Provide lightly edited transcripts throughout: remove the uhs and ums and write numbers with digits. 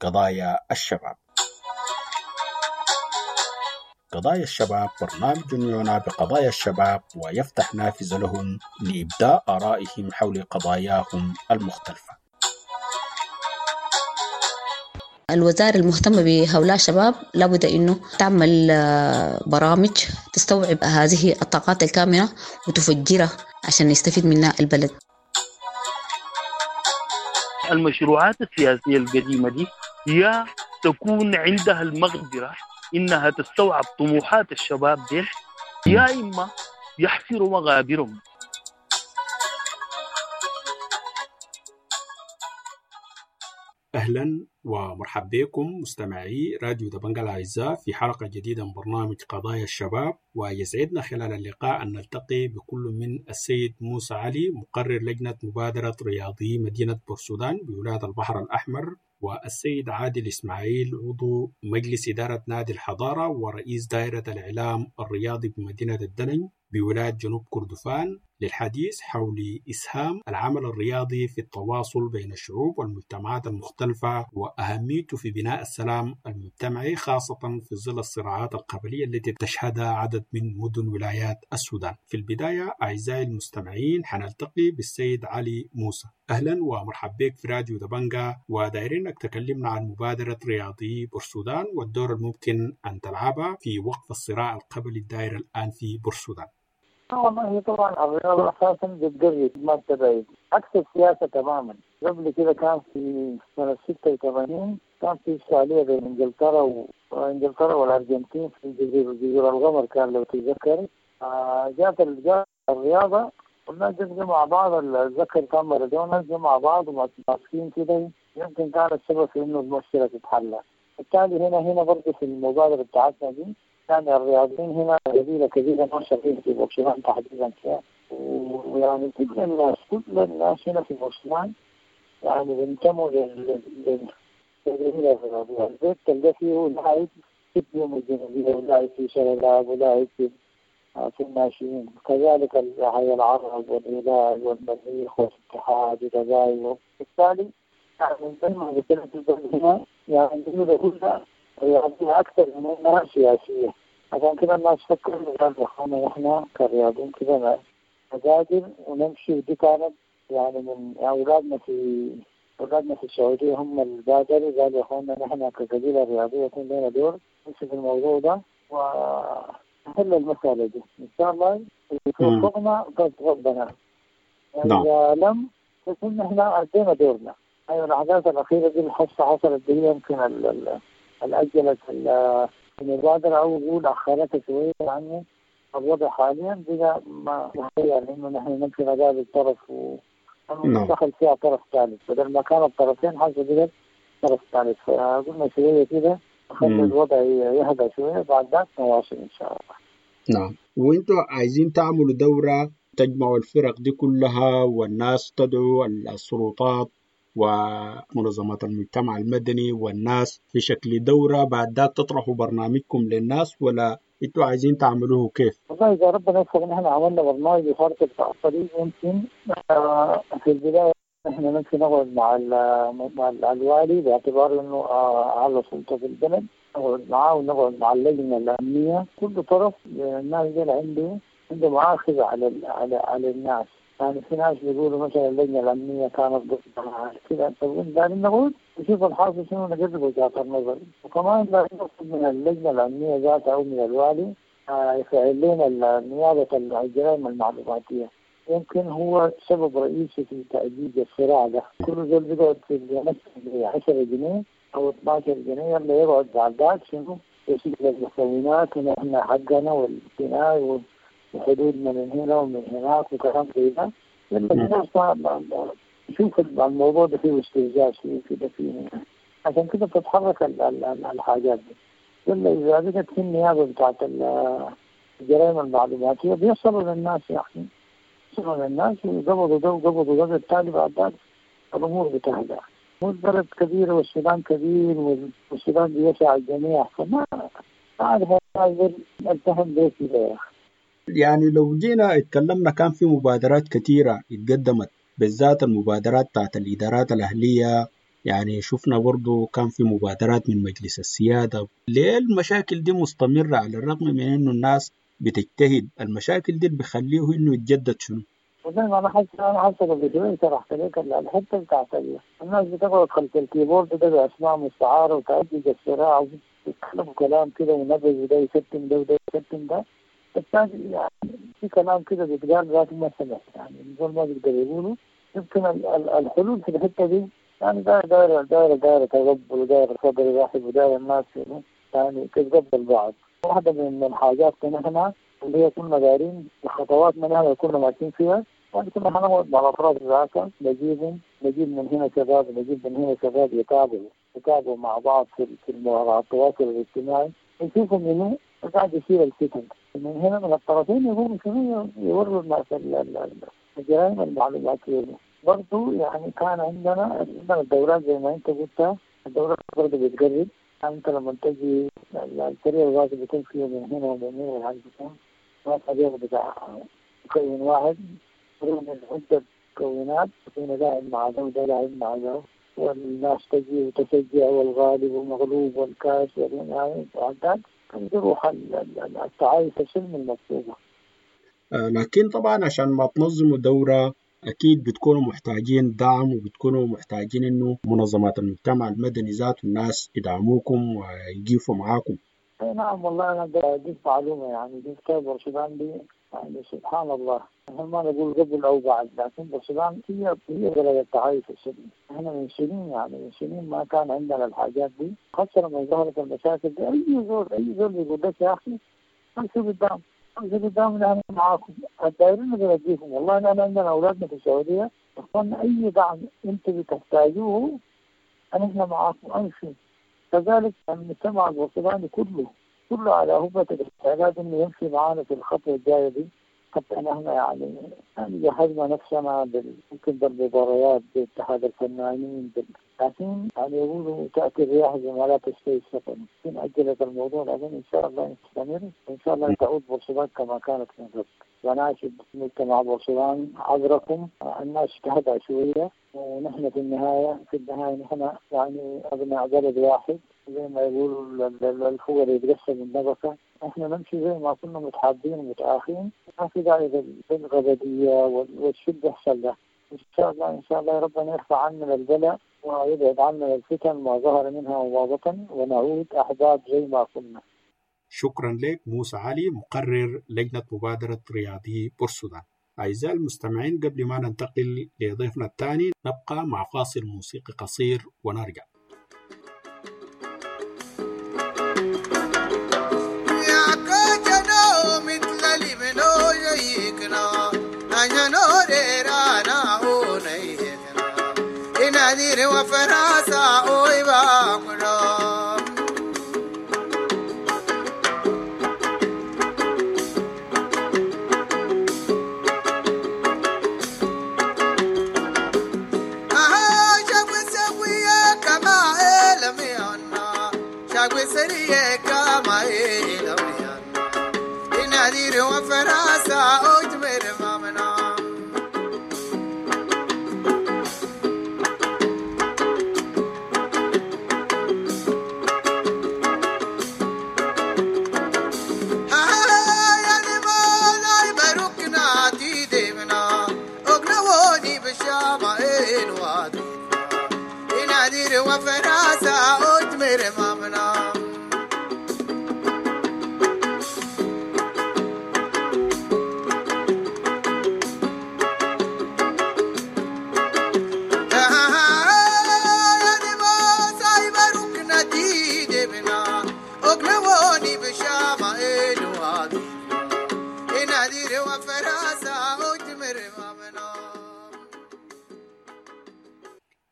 قضايا الشباب. قضايا الشباب برنامج يعنى بقضايا الشباب ويفتح نافذة لهم لإبداء آرائهم حول قضاياهم المختلفة. الوزارة المهتمة بهؤلاء الشباب لابد أنه تعمل برامج تستوعب هذه الطاقات الكامنة وتفجرها عشان يستفيد منها البلد. المشروعات السياسية القديمة دي يا تكون عندها المقدرة إنها تستوعب طموحات الشباب دي، يا إما يحفروا مغابرهم. أهلا ومرحبا بكم مستمعي راديو دبنجا الأعزاء في حلقة جديدة من برنامج قضايا الشباب، ويسعدنا خلال اللقاء أن نلتقي بكل من السيد موسى علي مقرر لجنة مبادرة رياضي مدينة بورسودان بولاية البحر الأحمر، والسيد عادل إسماعيل عضو مجلس إدارة نادي الحضارة ورئيس دائرة الإعلام الرياضي بمدينة الدلنج بولاية جنوب كردفان، للحديث حول إسهام العمل الرياضي في التواصل بين الشعوب والمجتمعات المختلفة وأهميته في بناء السلام المجتمعي، خاصة في ظل الصراعات القبلية التي تشهدها عدد من مدن ولايات السودان. في البداية أعزائي المستمعين حنلتقي بالسيد علي موسى. أهلا ومرحبا بك في راديو دبنجا، ودايرينك تكلمنا عن مبادرة رياضي بورسودان والدور الممكن أن تلعبها في وقف الصراع القبلي الدائر الآن في بورسودان. والله طبعا الرياضة أساسا بتقرب ما بتبعد، عكس السياسة تماما. قبل كده كان في سنة 86 كان في إشكالية بين إنجلترا والأرجنتين في جزيرة القمر، كان لو تتذكر. جات الرياضة والناس جت مع بعض، اتذكر كان مارادونا جت مع بعض وماسكين كده، يمكن كان السبب في إنه المشكلة تتحل. بالتالي هنا برضه في المبادرة بتاعتنا دي يعني الرياضيين هنا قبيلة كبيرة ما شغالين في بورسودان تحديدا فيها، ويعني كل الناس هنا في بورسودان يعني بينتموا للقبيلة الرياضية. البيت تلقى فيه لاعب في اليوم الجنوبية ولاعب في شلالاب ولاعب في الناشئين، كذلك حي العرب والهلال والمريخ والاتحاد ودبايو. بالتالي يعني زي ما قلت لك هنا يعني القبيلة كلها رياضية أكثر من أنها سياسية. عشان كده الناس فكروا قالوا إحنا إحنا كرياضيين كده نبادر ونمشي، ودي كانت يعني من أولادنا في السعودية هم اللي بادروا، قالوا يا إخوانا نحن كقبيلة رياضية يكون لنا دور نمشي في الموضوع ده ونحل المسألة دي إن شاء الله. توفقنا ربنا، يعني إذا لم يكن إحنا أدينا دورنا. أيوة الأحداث الأخيرة دي الحصة حصلت دي يمكن أجلت المبادرة أو نقول أخرتها شوية، لأنه الوضع حاليا بقى ما يعني إنه نحن نمشي نقابل طرف ودخل فيها طرف ثالث، بدل ما كان الطرفين حاجة بقت طرف ثالث. فقلنا شوية كده خلي الوضع يهدى شوية، بعد ذاك نواصل إن شاء الله. نعم، وإنتوا عايزين تعملوا دورة تجمعوا الفرق دي كلها والناس تدعو السلطات ومنظمات المجتمع المدني والناس في شكل دورة، بعد ذاك تطرحوا برنامجكم للناس، ولا انتوا عايزين تعملوه كيف؟ والله إذا ربنا يوفق نحن عملنا برنامج وخارطة الطريق. ممكن في البداية نحن ممكن نقعد مع الوالي باعتبار إنه أعلى سلطة في البلد، نقعد معاه ونقعد مع اللجنة الأمنية. كل طرف الناس دي عنده مآخذ على الناس. يعني في ناس بيقولوا مثلا اللجنة الأمنية كانت ضدنا كده، طب لازم نقول نشوف الحاصل شنو، نجرب وجهات النظر. وكمان لازم نطلب من اللجنة الأمنية ذاتها أو من الوالي يفعل لنا نيابة الجرائم المعلوماتية. يمكن هو سبب رئيسي في تأجيج الصراع ده. كل زول بيقعد في 10 جنيه أو 12 جنيه، يلا يقعد بعد ذاك شنو يسجل المكونات ونحن حقنا والجناي وحدودنا من هنا ومن هناك وكلام زي ده. لما الناس تشوف الموضوع ده فيه استفزاز فيه كده فيه، عشان كده بتتحرك الحاجات دي. لما إذا بقت في النيابة بتاعت الجرائم المعلوماتية بيصلوا للناس، يعني بيصلوا للناس وقبضوا ده وقبضوا ده، بالتالي بعد ذلك الأمور بتهدأ. البلد كبيرة والسودان كبير والسودان بيسع الجميع، فما أعرف التهم ليه كده يا أخي. يعني لو جينا اتكلمنا كان في مبادرات كثيرة اتقدمت، بالذات المبادرات بتاعت الإدارات الأهلية يعني شفنا برضو كان في مبادرات من مجلس السيادة. ليه المشاكل دي مستمرة على الرغم من إنه الناس بتجتهد؟ المشاكل دي بخليه إنه يتجدد شنو؟ وزي ما انا حاسس، انا حاسس قبل شويه شرحت لك الحته بتاعت الناس بتقعد خلف ال keyboard ده باسماء مستعاره وتأجج الصراع وبيتكلموا كلام كده ونبذ، وده يشتم ده وده يشتم ده. بالتالي يعني في كلام كده بيتقال ذاته ما سمع، يعني الزول ما بيقدر يقوله. يمكن الحلول في الحته دي يعني دايره دايره دايره تقبل، ودايره صدر رحب، ودايره الناس يعني تتقبل بعض. واحدة من الحاجات نحن اللي هي كنا دايرين الخطوات من هنا كنا ماشيين فيها، يعني كنا حنقعد مع الأطراف ذاتها، نجيبهم، نجيب من هنا شباب، نجيب من هنا شباب يتابعوا مع بعض في مواقع التواصل الاجتماعي، نشوفوا منو قاعد يشيل الفتن من هنا من الطرفين، يقوموا شنو يوروا الناس الجرائم المعلوماتية. برضو يعني كان عندنا الدورات زي ما انت قلت، الدورات برضو بتقرب. يعني انت لما تجي الفريق الغازي بيكون فيه من هنا ومن هنا، والحاجة بيكون ما فريق بتاع مكون واحد، فريق من عدة مكونات، يكون لاعب مع ده وده لاعب مع ده، والناس تجي وتشجع، والغالب والمغلوب والكاس والنهائي وعداد، روح التعايش السلمي المطلوبة. لكن طبعا عشان ما تنظموا دورة أكيد بتكونوا محتاجين دعم، وبتكونوا محتاجين إنه منظمات المجتمع المدني ذات الناس يدعموكم ويقيفوا معاكم. نعم والله أنا أديك معلومة، يعني دي بورسودان دي يعني سبحان الله، نحن ما نقول قبل أو بعد، لكن بورسودان هي بلد التعايش السلمي. احنا من سنين، يعني من سنين ما كان عندنا الحاجات دي، خاصة لما ظهرت المشاكل دي. أي زول بيقول لك يا أخي امشوا قدام، امشوا قدام، نحن معاكم، الدايرين بنديكم. والله نحن عندنا أولادنا في السعودية، إخواننا أي دعم أنتم بتحتاجوه نحن معاكم، امشوا. كذلك المجتمع البورسوداني كله على هبة الاستعداد انه يمشي معانا في الخطوة الجاية دي. حتى نحن يعني جهزنا نفسنا ممكن بالمباريات باتحاد الفنانين، لكن يعني يقولوا تأتي الرياح بما لا تشتهي السفن. يمكن أجلت الموضوع، لكن إن شاء الله نستمر، وإن شاء الله تعود بورسودان كما كانت من قبل. وناشد مجتمع بورسودان عذركم، الناس تهدأ شوية، ونحن في النهاية نحن يعني أبناء بلد واحد، زي ما يقولوا الفقر يتقسم النبكة. احنا نمشي زي ما كنا متحابين ومتآخين، ما في داعي للغبدية والشد بيحصل ده. إن شاء الله إن شاء الله ربنا يرفع عنا البلاء ويبعد عنا الفتن ما ظهر منها وما بطن، ونعود أحباب زي ما كنا. شكرا لك موسى علي، مقرر لجنة مبادرة رياضي بورسودان. أعزائي المستمعين، قبل ما ننتقل لضيفنا الثاني نبقى مع فاصل موسيقي قصير ونرجع.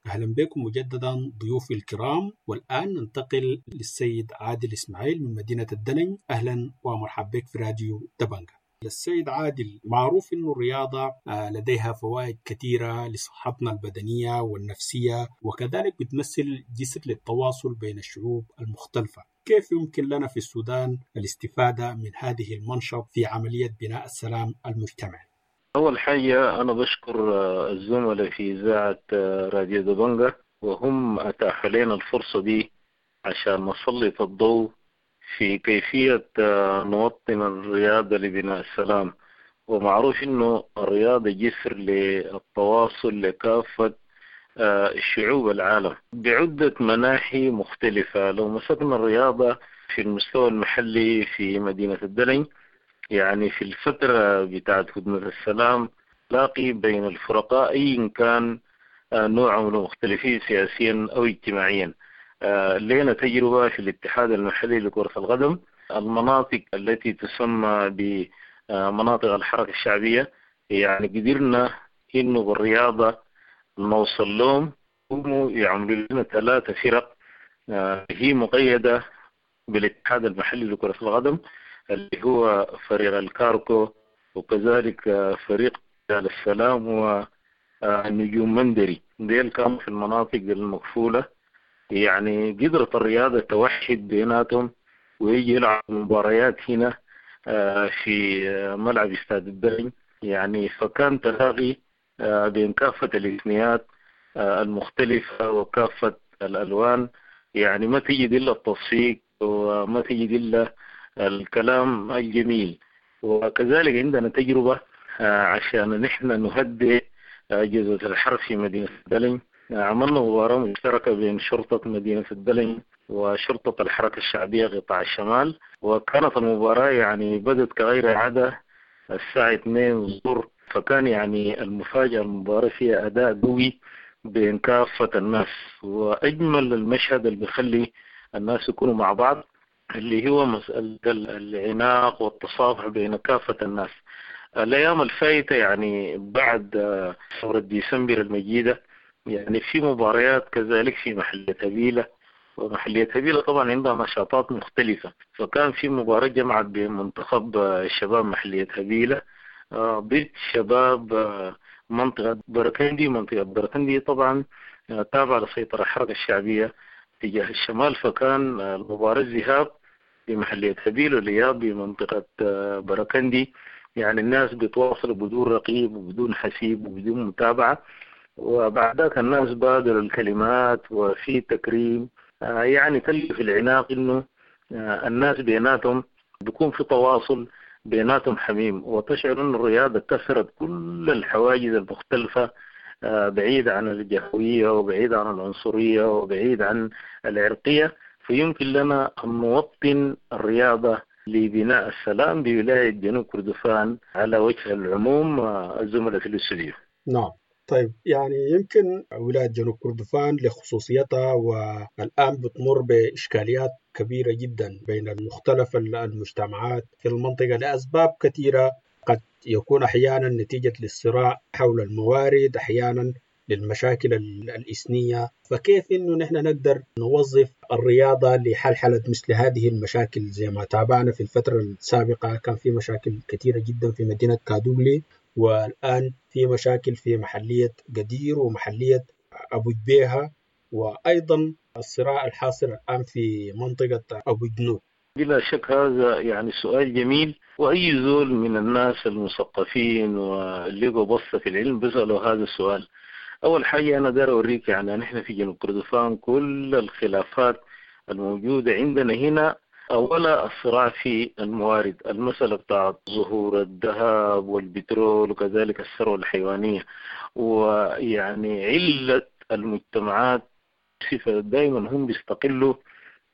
أهلا بكم مجددا ضيوفي الكرام، والآن ننتقل للسيد عادل إسماعيل من مدينة الدلنج. أهلا ومرحبا بك في راديو دبنجة. السيد عادل، معروف أن الرياضة لديها فوائد كثيرة لصحتنا البدنية والنفسية، وكذلك بتمثل جسر للتواصل بين الشعوب المختلفة. كيف يمكن لنا في السودان الاستفادة من هذه المنشط في عملية بناء السلام المجتمعي؟ أول حاجة أنا بشكر الزملاء في إذاعة راديو دبنجة، وهم أتاحوا لنا الفرصة دي عشان نسلط الضوء في كيفية نوطن الرياضة لبناء السلام. ومعروف إنه الرياضة جسر للتواصل لكافة شعوب العالم بعدة مناحي مختلفة. لو مسكنا الرياضة في المستوى المحلي في مدينة الدلنج، يعني في الفترة بتاعت هدنة السلام لاقي بين الفرقاء أي كان نوعهم مختلفين سياسيا أو اجتماعيا. لنا تجربة في الاتحاد المحلي لكرة القدم، المناطق التي تسمى بمناطق الحركة الشعبية، يعني قدرنا إنه بالرياضة نوصل لهم، هم يعملوا لنا 3 فرق هي مقيدة بالاتحاد المحلي لكرة القدم، اللي هو فريق الكاركو وكذلك فريق السلام ونجوم مندري. ديل كانوا في المناطق المقفولة، يعني قدرت الرياضة توحد بيناتهم ويجي يلعب مباريات هنا في ملعب استاد الدلنج. يعني فكان تلاقي بين كافة الإثنيات المختلفة وكافة الألوان، يعني ما تجد إلا التصفيق وما تجد إلا الكلام الجميل. وكذلك عندنا تجربة عشان نحن نهدئ جزء الحرب في مدينة الدلنج، عملنا مباراة مشتركة بين شرطة مدينة الدلنج وشرطة الحركة الشعبية قطاع الشمال، وكانت المباراة يعني بدت كغير عادة الساعة 2 الظهر، فكان يعني المفاجأة المباراة فيها أداء قوي بين كافة الناس. وأجمل المشهد اللي بيخلي الناس يكونوا مع بعض اللي هو مسألة العناق والتصافح بين كافة الناس. الأيام الفايتة يعني بعد ثورة ديسمبر المجيدة، يعني في مباريات كذلك في محلية هبيلة، ومحلية هبيلة طبعا عندها نشاطات مختلفة، فكان في مباراة جمعت بين منتخب شباب محلية هبيلة ضد شباب منطقة بركندي. منطقة بركندي طبعا تابعة لسيطرة الحركة الشعبية تجاه الشمال، فكان المباراة الذهاب بمحلية هبيلة والإياب بمنطقة بركندي. يعني الناس بتواصل بدون رقيب وبدون حسيب وبدون متابعة، وبعد ذاك الناس بادروا الكلمات وفي تكريم، يعني تلقى في العناق إنه الناس بيناتهم بيكون في تواصل بيناتهم حميم، وتشعر أن الرياضة كسرت كل الحواجز المختلفة، بعيد عن الجهوية وبعيد عن العنصرية وبعيد عن العرقية. فيمكن لنا أن نوطن الرياضة لبناء السلام بولاية جنوب كردفان على وجه العموم. الزملاء في الاستوديو. نعم طيب، يعني يمكن ولاية جنوب كردفان لخصوصيتها والآن بتمر بإشكاليات كبيرة جدا بين مختلف المجتمعات في المنطقة لأسباب كثيرة، قد يكون أحيانا نتيجة للصراع حول الموارد، أحيانا للمشاكل الإثنية. فكيف إنه نحن نقدر نوظف الرياضة لحلحلة مثل هذه المشاكل؟ زي ما تابعنا في الفترة السابقة كان في مشاكل كثيرة جدا في مدينة كادوغلي، والآن في مشاكل في محلية قدير ومحلية أبو جبيهة، وأيضا الصراع الحاصل الآن في منطقة أبو جنوب. بلا شك هذا يعني سؤال جميل، وأي زول من الناس المثقفين واللي بصة في العلم بيسألوا هذا السؤال. أول حاجة أنا داير أوريك يعني نحن في جنوب كردفان كل الخلافات الموجودة عندنا هنا، أولا الصراع في الموارد، المسألة بتاعت ظهور الذهب والبترول وكذلك الثروة الحيوانية، ويعني علة المجتمعات صفة دائما هم بيستقلوا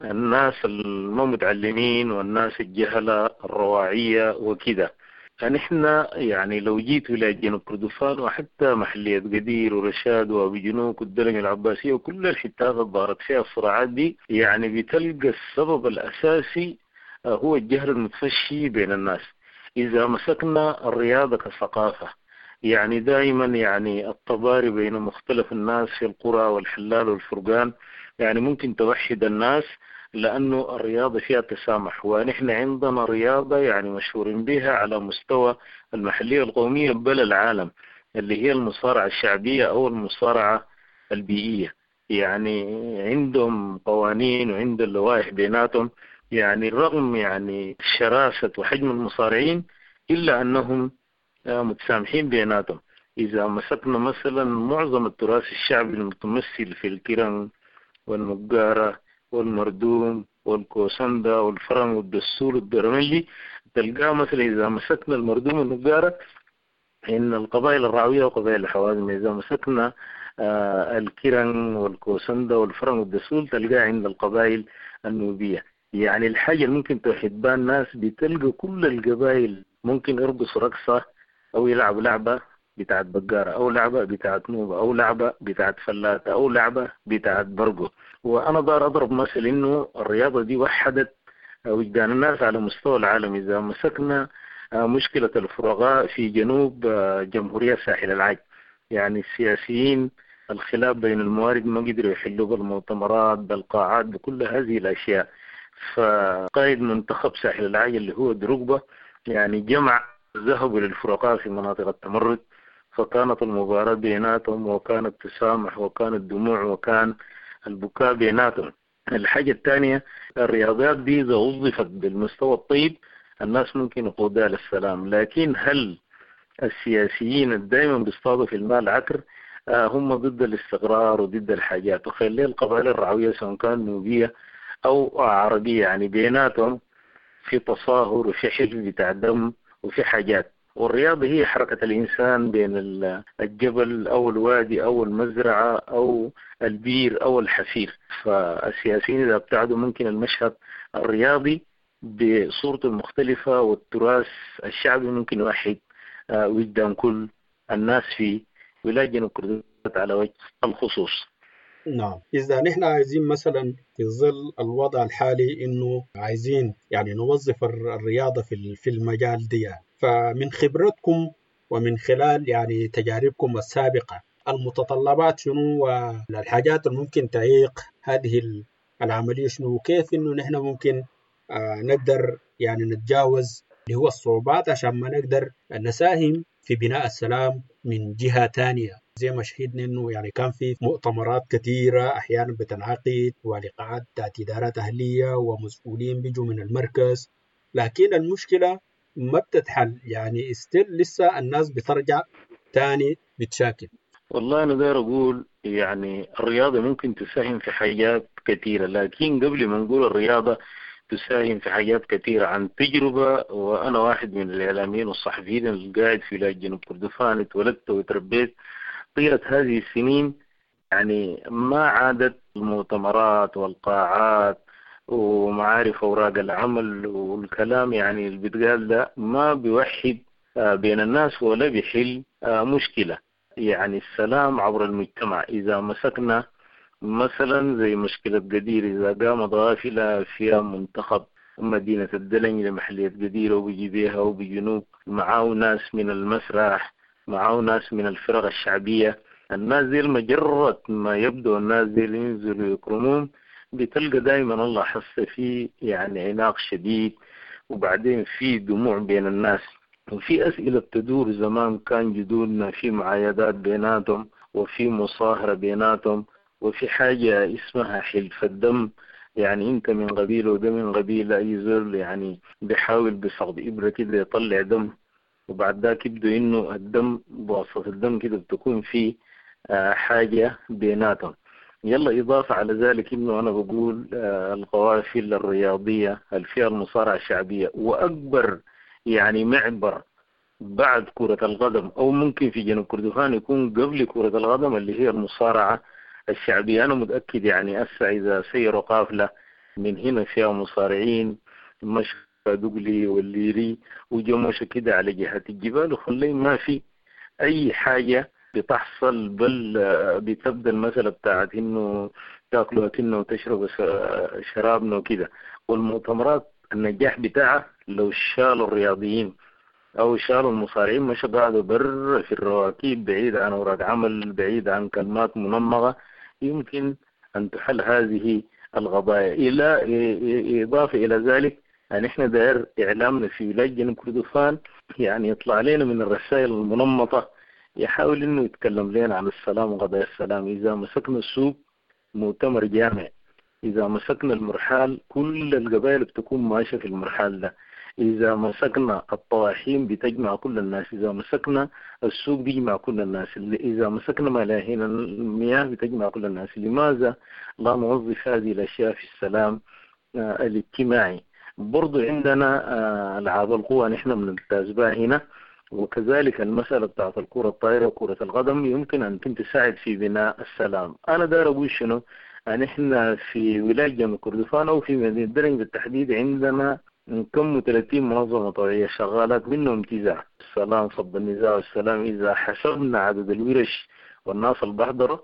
الناس المتعلمين والناس الجهلة الرواعية وكذا. فنحن يعني لو جيت ولاية جنوب كردفان وحتى محلية قدير ورشاد وابو جنوك والدلنج العباسية وكل الحتات اللي ظهرت فيها الصراعات دي، يعني بتلقى السبب الأساسي هو الجهل المتفشي بين الناس. إذا مسكنا الرياضة كثقافة، يعني دائما يعني التضارب بين مختلف الناس في القرى والحلال والفرقان يعني ممكن توحد الناس، لأنه الرياضة فيها تسامح، ونحن عندنا رياضة يعني مشهورين بها على مستوى المحلية القومية بل العالم، اللي هي المصارعة الشعبية أو المصارعة البيئية. يعني عندهم قوانين وعندهم لوائح بيناتهم، يعني رغم يعني شراسة وحجم المصارعين إلا أنهم متسامحين بيناتهم. إذا مسكنا مثلا معظم التراث الشعبي المتمثل في الكرن والنقارة والمردوم والكوسندا والفرن والدسول والدرملي، تلقاه مثلا إذا مسكنا المردوم والنقارة إن القبائل الرعوية وقبائل الحوازم، إذا مسكنا الكرن والكوسندا والفرن والدسول تلقاه عند القبائل النوبية. يعني الحاجة اللي ممكن توحد بها الناس، بتلقى كل القبائل ممكن يرقصوا رقصة أو يلعبوا لعبة بتاعت بقارة أو لعبة بتاعت نوبة أو لعبة بتاعت فلاتة أو لعبة بتاعت برقو. وأنا دار أضرب مثل إنه الرياضة دي وحدت وجدان الناس على مستوى العالم. إذا مسكنا مشكلة الفرقاء في جنوب جمهورية ساحل العاج، يعني السياسيين الخلاف بين الموارد ما قدروا يحلوا بالمؤتمرات بالقاعات بكل هذه الأشياء. فقائد منتخب ساحل العاج اللي هو دروجبا يعني جمع ذهبوا للفرقاء في مناطق التمرد، فكانت المباراة بيناتهم وكان التسامح وكان الدموع وكان البكاء بيناتهم. الحاجة الثانية، الرياضيات دي إذا وظفت بالمستوى الطيب الناس ممكن يقودها للسلام، لكن هل السياسيين دائما بيصطادوا في المال عكر؟ هم ضد الاستقرار وضد الحاجات. وخلي القبائل الرعوية سواء كان نوبية أو عربية يعني بيناتهم في تصاهر وفي حلف بتاع دم وفي حاجات. والرياضة هي حركة الإنسان بين الجبل أو الوادي أو المزرعة أو البير أو الحفير. فالسياسيين إذا ابتعدوا ممكن المشهد الرياضي بصورته المختلفة والتراث الشعبي ممكن يوحد وجدان كل الناس في ولاية جنوب كردفان على وجه الخصوص. نعم، إذا نحن عايزين مثلا في ظل الوضع الحالي إنه عايزين يعني نوظف الرياضة في المجال دي، فمن خبرتكم ومن خلال يعني تجاربكم السابقة المتطلبات شنو والحاجات اللي ممكن تعيق هذه العملية شنو، وكيف إنه نحن ممكن نقدر يعني نتجاوز اللي هو الصعوبات عشان ما نقدر نساهم في بناء السلام من جهة تانية؟ زي ما شهدنا إنه يعني كان في مؤتمرات كثيرة أحيانا بتنعقد ولقاءات بتاعت إدارات أهلية ومسؤولين بيجوا من المركز، لكن المشكلة ما بتتحل، يعني استيل لسه الناس بترجع تاني بتشاكل. والله أنا داير أقول يعني الرياضة ممكن تساهم في حاجات كثيرة، لكن قبل ما نقول الرياضة تساهم في حاجات كثيرة عن تجربة، وأنا واحد من الإعلاميين والصحفيين اللي قاعد في ولاية جنوب كردفان، اتولدت وتربيت طيلة هذه السنين، يعني ما عادت المؤتمرات والقاعات ومعارف أوراق العمل والكلام يعني اللي بيتقال ده ما بيوحد بين الناس ولا بيحل مشكلة. يعني السلام عبر المجتمع. إذا مسكنا مثلا زي مشكلة قدير، إذا قامت غافلة فيها منتخب مدينة الدلنج لمحلية قدير وبيجي بيها وبجنوب، معاه ناس من المسرح، معاه ناس من الفرق الشعبية، الناس دي مجرد ما يبدو الناس دي اللي ينزلوا يكرمون بتلقى دايما الله حس فيه يعني عناق شديد، وبعدين في دموع بين الناس، وفي أسئلة تدور. زمان كان جدودنا في معايدات بيناتهم وفي مصاهرة بيناتهم وفي حاجة اسمها حلف الدم، يعني انت من قبيلة وده من قبيلة، اي زول يعني بيحاول بصغد إبرة كده يطلع دم، وبعد ذاك يبدو انه الدم بواسطة الدم كده بتكون في حاجة بيناتهم. يلا إضافة على ذلك إنه أنا بقول القوافل الرياضية الفئة المصارعة الشعبية وأكبر يعني معبر بعد كرة القدم، أو ممكن في جنوب كردفان يكون قبل كرة القدم اللي هي المصارعة الشعبية. أنا متأكد يعني أسا إذا سيروا قافلة من هنا فيها مصارعين مشى دقلي والليري وجمشوا كده على جهة الجبال وخلي ما في أي حاجة بتحصل، بل بتبدأ المسألة بتاعت إنه تاكلوا أكلنا وتشربوا شرابنا وكده. والمؤتمرات النجاح بتاعها لو شالوا الرياضيين أو شالوا المصارعين مش قاعدوا بر في الرواكيب بعيد عن أوراق عمل، بعيد عن كلمات منمغة، يمكن أن تحل هذه القضايا. إلى إضافة إلى ذلك يعني إحنا داير إعلامنا في ولاية جنوب كردفان يعني يطلع لنا من الرسائل المنمطة، يحاول إنه يتكلم لنا عن السلام وقضايا السلام. إذا مسكنا السوق مؤتمر جامع، إذا مسكنا المرحال كل القبائل بتكون ماشية في المرحال ده، إذا مسكنا الطواحين بتجمع كل الناس، إذا مسكنا السوق بيجمع كل الناس، إذا مسكنا ملاهين المياه بتجمع كل الناس. لماذا لا نوظف هذه الأشياء في السلام الاجتماعي؟ برضو عندنا ألعاب القوى نحن بنمتاز بها هنا، وكذلك المسألة بتاعت الكرة الطائرة وكرة القدم يمكن أن تساعد في بناء السلام. أنا داير أقول شنو، نحن في ولاية جنوب كردفان أو في مدينة درنج بالتحديد عندنا كم 30 منظمة طوعية شغالات، منهم 9 السلام، فض النزاع والسلام. إذا حسبنا عدد الورش والناس اللي بحضروا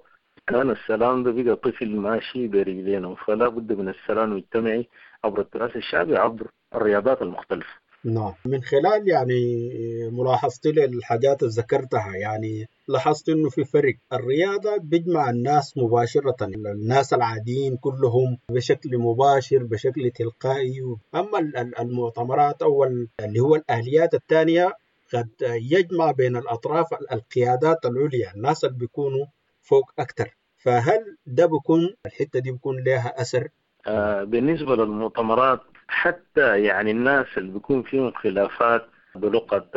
كان السلام ده بقى طفل ماشي برجلينه. فلا بد من السلام المجتمعي عبر التراث الشعبي، عبر الرياضات المختلفة. نعم، من خلال يعني ملاحظتي للحاجات اللي ذكرتها، يعني لاحظت انه في فرق. الرياضة بيجمع الناس مباشرة، الناس العاديين كلهم بشكل مباشر بشكل تلقائي. اما المؤتمرات او اللي هو الآليات الثانية قد يجمع بين الاطراف القيادات العليا، الناس اللي بيكونوا فوق اكثر. فهل ده بيكون الحتة دي بيكون لها اثر؟ بالنسبة للمؤتمرات حتى يعني الناس اللي بيكون فيهم خلافات بلغة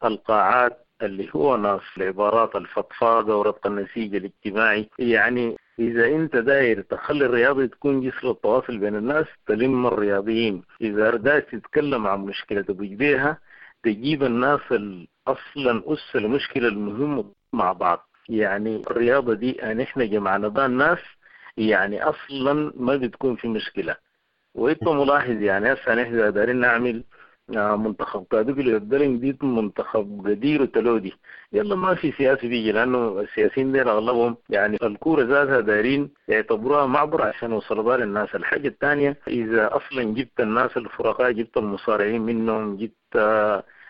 القاعات اللي هو ناس العبارات الفضفاضة وربط النسيج الاجتماعي، يعني إذا أنت داير تخلي الرياضة تكون جسر التواصل بين الناس تلم الرياضيين. إذا داير تتكلم عن مشكلة تبوج بيها تجيب الناس أصلا أس المشكلة المهمة مع بعض. يعني الرياضة دي نحن جمعنا بها الناس، يعني أصلا ما بتكون في مشكلة. وانت ملاحظ يعني هسه نحن دايرين نعمل منتخب كادوقلي الدرنج دي منتخب قدير وتلودي، يلا ما في سياسي بيجي، لانه السياسيين ديل اغلبهم يعني الكوره ذاتها دايرين يعتبروها معبر عشان يوصلوا بها للناس. الحاجه الثانيه اذا اصلا جبت الناس الفرقاء، جبت المصارعين منهم، جبت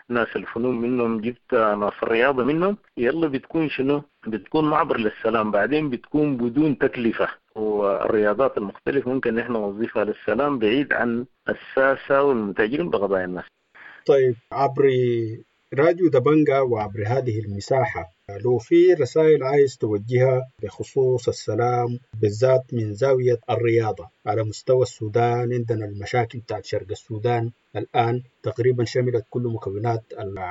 ناس الفنون منهم، جبت ناس الرياضه منهم، يلا بتكون شنو؟ بتكون معبر للسلام. بعدين بتكون بدون تكلفه، والرياضات المختلفة ممكن نحن نوظفها للسلام بعيد عن الساسة والمتاجرين بقضايا الناس. طيب، عبر راديو دبنجا وعبر هذه المساحة لو في رسائل عايز توجهها بخصوص السلام بالذات من زاوية الرياضة على مستوى السودان، عندنا المشاكل بتاعت شرق السودان الآن تقريبا شملت كل مكونات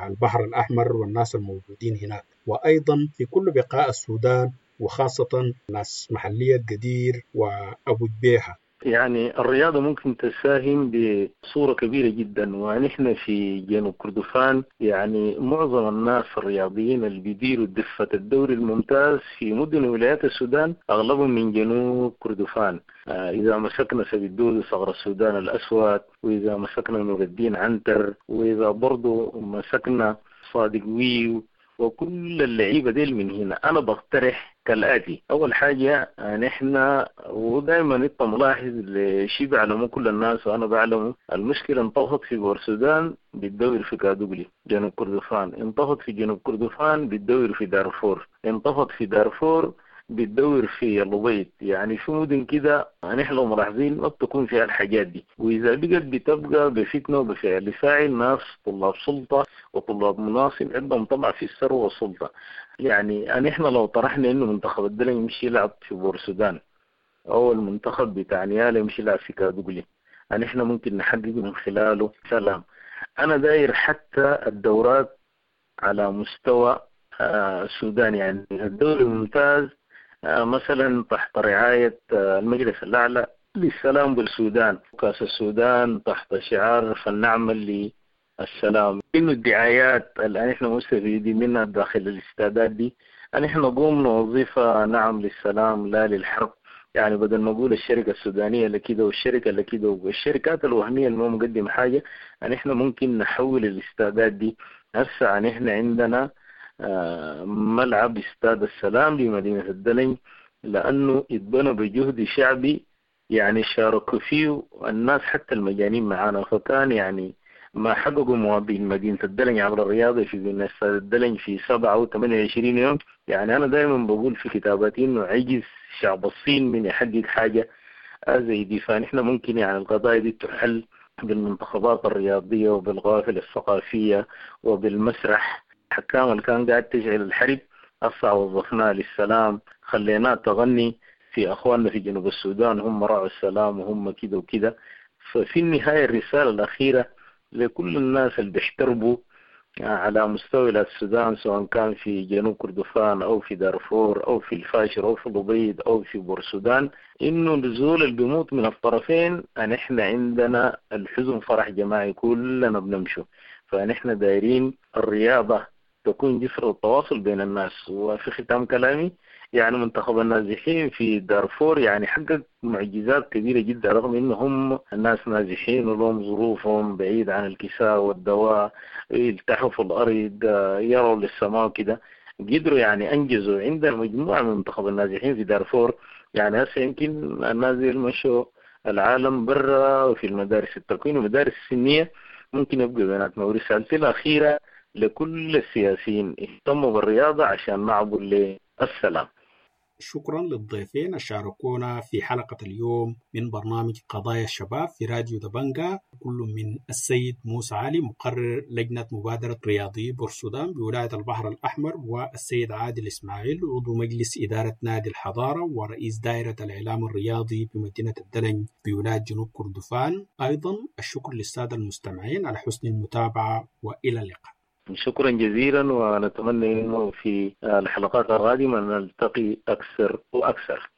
البحر الأحمر والناس الموجودين هناك، وأيضا في كل بقاع السودان وخاصة ناس محلية قدير وأبو جبيهة. يعني الرياضة ممكن تساهم بصورة كبيرة جدا، ونحن في جنوب كردفان يعني معظم الناس الرياضيين اللي بيديروا دفة الدوري الممتاز في مدن ولايات السودان أغلبهم من جنوب كردفان. إذا مسكنا سبيدود صغر السودان الأسود، وإذا مسكنا نور الدين عنتر، وإذا برضو مسكنا صادق ويو، وكل اللعيبة ديل من هنا. أنا بقترح كالآتي: أول حاجة نحن ودائما أنت ملاحظ لشيء بعلمه كل الناس وأنا بعلمه، المشكلة انطفت في بورسودان بتدور في كادوغلي جنوب كردفان، انطفت في جنوب كردفان بتدور في دارفور، انطفت في دارفور بتدور في الأبيض. يعني في مدن كده نحن لو ملاحظين ما بتكون فيها الحاجات دي، وإذا بقت بتبقى بفتنة وبفعل فاعل ناس طلاب سلطة وطلاب مناصب عندهم طمع في الثروة والسلطة. يعني نحن لو طرحنا إنه منتخب الدلنج يمشي يلعب في بورسودان أو المنتخب بتاع نيالا يمشي يلعب في كادوغلي، نحن ممكن نحقق من خلاله سلام. أنا داير حتى الدورات على مستوى السودان، يعني الدوري الممتاز مثلا تحت رعاية المجلس الأعلى للسلام بالسودان، كأس السودان تحت شعار فلنعمل للسلام. إنه الدعايات اللي نحن مستفيدين منها داخل الاستادات دي نحن نقوم نوظفها نعم للسلام لا للحرب. يعني بدل ما نقول الشركة السودانية اللي كده والشركة اللي كده والشركات الوهمية اللي ما مقدم حاجة، نحن ممكن نحول الاستادات دي. هسه نحن عندنا ملعب استاد السلام بمدينة الدلنج، لأنه اتبنى بجهد شعبي يعني شاركوا فيه الناس حتى المجانين معانا، فكان يعني ما حققوا مواطنين مدينة الدلنج عبر الرياضة في بناء استاد الدلنج في 27 يوم. يعني أنا دائما بقول في كتاباتي إنه عجز شعب الصين من يحقق حاجة زي دي. فنحن ممكن يعني القضايا دي تحل بالمنتخبات الرياضية وبالغوافل الثقافية وبالمسرح. الحكام اللي كان قاعد تشعل الحرب هسه وظفناه للسلام، خليناه تغني في أخواننا في جنوب السودان هم راعوا السلام وهم كده وكده. ففي النهاية الرسالة الأخيرة لكل الناس اللي بيحتربوا على مستوى السودان، سواء كان في جنوب كردفان أو في دارفور أو في الفاشر أو في الأبيض أو في بورسودان، إنه الزول اللي بيموت من الطرفين نحن عندنا الحزن فرح جماعي، كلنا بنمشوا. فنحن دايرين الرياضة تكون جسر التواصل بين الناس. وفي ختام كلامي، يعني منتخب النازحين في دارفور يعني حقق معجزات كبيرة جدا، رغم انهم الناس نازحين ولهم ظروفهم بعيد عن الكساء والدواء، يلتحوا في الارض، يروا للسماء وكده، قدروا يعني انجزوا. عندنا مجموعة من منتخب النازحين في دارفور، يعني هسه يمكن الناس دي مشوا العالم برا وفي المدارس التكوين والمدارس السنية ممكن يبقوا بيناتنا. ورسالتي الأخيرة لكل السياسيين، اهتموا بالرياضة عشان نعبر للسلام. شكرا للضيفين شاركونا في حلقة اليوم من برنامج قضايا الشباب في راديو دبنجا، كل من السيد موسى علي مقرر لجنة مبادرة رياضي بورسودان بولاية البحر الأحمر، والسيد عادل إسماعيل عضو مجلس إدارة نادي الحضارة ورئيس دائرة الإعلام الرياضي بمدينة الدلنج بولاية جنوب كردفان. أيضا الشكر للسادة المستمعين على حسن المتابعة، وإلى اللقاء. شكرا جزيلا، ونتمنى انه في الحلقات القادمه نلتقي اكثر واكثر.